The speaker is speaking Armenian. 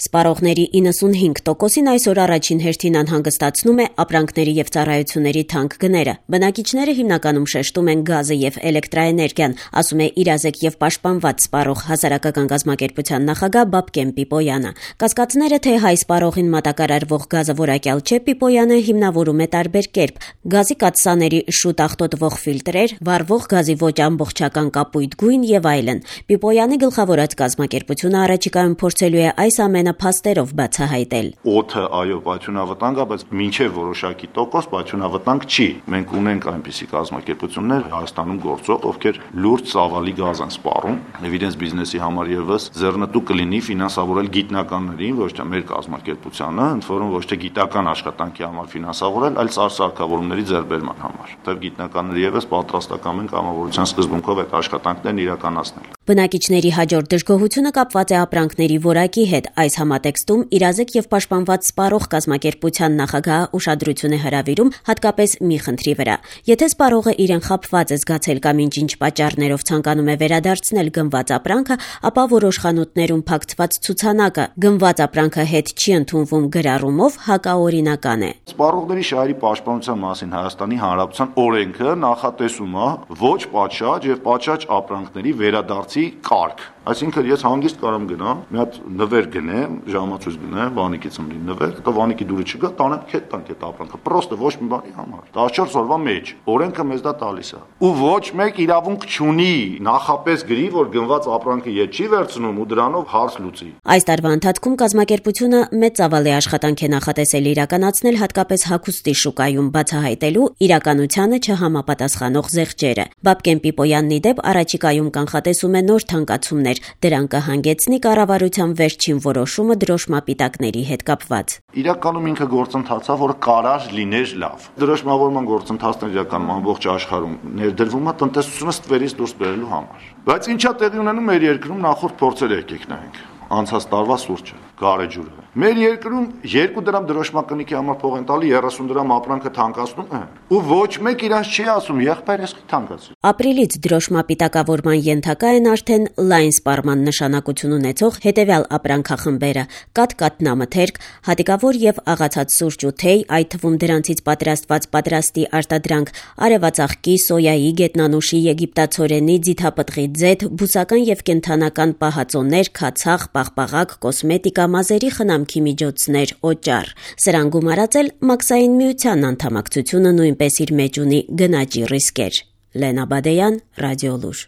Սպառողների 95%-ին այսօր առաջին հերթին անհանգստացնում է ապրանքների եւ ծառայությունների թանկ գները։ Բնակիչները հիմնականում շեշտում են գազը եւ էլեկտրաէներգիան, ասում է իրազեկ եւ պաշտպանված սպառող հասարակական կազմակերպության նախագահ Բաբկեն Պիպոյանը։ Կասկածները, թե հայ սպառողին մատակարարվող գազը որակյալ չէ, Պիպոյանը հիմնավորում է տարբեր կերպ՝ գազի կաթսաների շուտ աղտոտվող ֆիլտրեր, վառվող գազի ոչ ամբողջական կապույտ գույն եւ այլն։ Պիպոյանի գլխավորած կազմակերպությունը առաջիկայում փորձելու է այս ամենը փաստերով բացահայտել։ Օդը, այո, պայթյունավտանգ է, բայց մինչև որոշակի տոկոս պայթյունավտանգ չի։ Մենք ունենք այնպիսի կազմակերպություններ Հայաստանում գործող, ովքեր լուրջ ծավալի գազ են սպառում եւ իրենց բիզնեսի համար եւս ձեռնտու կլինի ֆինանսավորել գիտնականներին, ոչ թե մեր կազմակերպությանը, ընդ որում ոչ թե գիտական աշխատանքի համար ֆինանսավորել, այլ սարքավորումների ձեռբերման համար։ Թեև գիտնականները եւս պատրաստական են կամավորության սկզբունքով այդ աշխատանքներն իրականացնել։ Բնակիչների հաջորդ դժգոհությունը կապված է ապրանքների որակի հետ։ Այս համատեքստում իրազեկ եւ պաշտպանված սպառող կազմակերպության նախագահը ուշադրություն է հրավիրում հատկապես մի խնդրի վրա։ Եթե սպառողը իրեն խաբված է զգացել կամ ինչ պատճառներով ցանկանում է վերադարձնել գնված ապրանքը, ապա որոշ խանութներում փակցված ցուցանակը «Գնված ապրանքը հետ չի ընդունվում» գրառումով հակաօրինական է։ Սպառողների շահերի պաշտպանության մասին Հայաստանի Հանրապետության օրենքը նախատեսում է ոչ պատշաճ եւ պատշաճ ապրանքների վերադարձի կարգ։ Այսինքն ես հանգիստ կարամ գնամ, մի հատ նվեր գնեմ, ժամացույց գնեմ, վանիկից ըմբի նվեր, հետո վանիկի դուրը չգա, տանեմ քետ տանք այդ ապրանքը, պրոստը ոչ մի բանի համար։ 14 օրվա մեջ օրենքը մեզ դա տալիս է։ Ու ոչ մեկ իրավունք չունի նախապես գրի, որ գնված ապրանքը ետ չի վերցնում ու դրանով հարց լուծի։ Այս տարվա ընթացքում կազմակերպությունը մեծ ծավալի աշխատանք է նախատեսել իրականացնել հատկապես հագուստի շուկայում բացահայտելու իրականությանը չհամապատասխանող զեղչերը։ Բաբկեն Պիպոյանն ի դեպ առաջիկայում կանխատեսում է նոր թանկացումներ, դրան կհանգեցնի կառավարության վերջին որոշումը դրոշմապիտակների հետ կապված։ Իրականում ինքը գործընթաց է, որը կարար լիներ լավ։ Դրոշմավորման գործընթացն իրականում ամբողջ աշխարհում ներդրվում է տնտեսությունը ստվերից դուրս բերելու համար։ Բայց ինչա տեղի ունենում մեր երկրում նախորդ փորձերը եկեք նայենք։ Անցած տարվա սուրճը, գարեջուրը։ Մեր երկրում 2 դրամ դրոշմակնիկի համար փող են տալի, 30 դրամ ապրանքը թանկացնում է։ Ու ոչ մեկ իրանց չի ասում, եղբայր էս թանկացրի։ Ապրիլից դրոշմապիտակավորման ենթակա են արդեն լայն սպառման նշանակություն ունեցող հետևյալ ապրանքախմբերը՝ կաթնամթերք, հատիկավոր եւ աղացած սուրճ ու թեյ, այդ թվում դրանցից պատրաստված պատրաստի արտադրանք, արևածաղկի, սոյայի, գետնանուշի, եգիպտացորենի, ձիթապտղի ձեթ, բուսական եւ կենդանական պահածոներ, քացախ, պաղպաղակ, կոսմետիկա, մազերի խնամքի միջոցներ, օճառ։ Սրան գումարած էլ Մաքսային միության անդամակցությունը նույնպես իր մեջ ունի գնաճի ռիսկեր։ Լենա Բադեյան, Ռադիոլուր։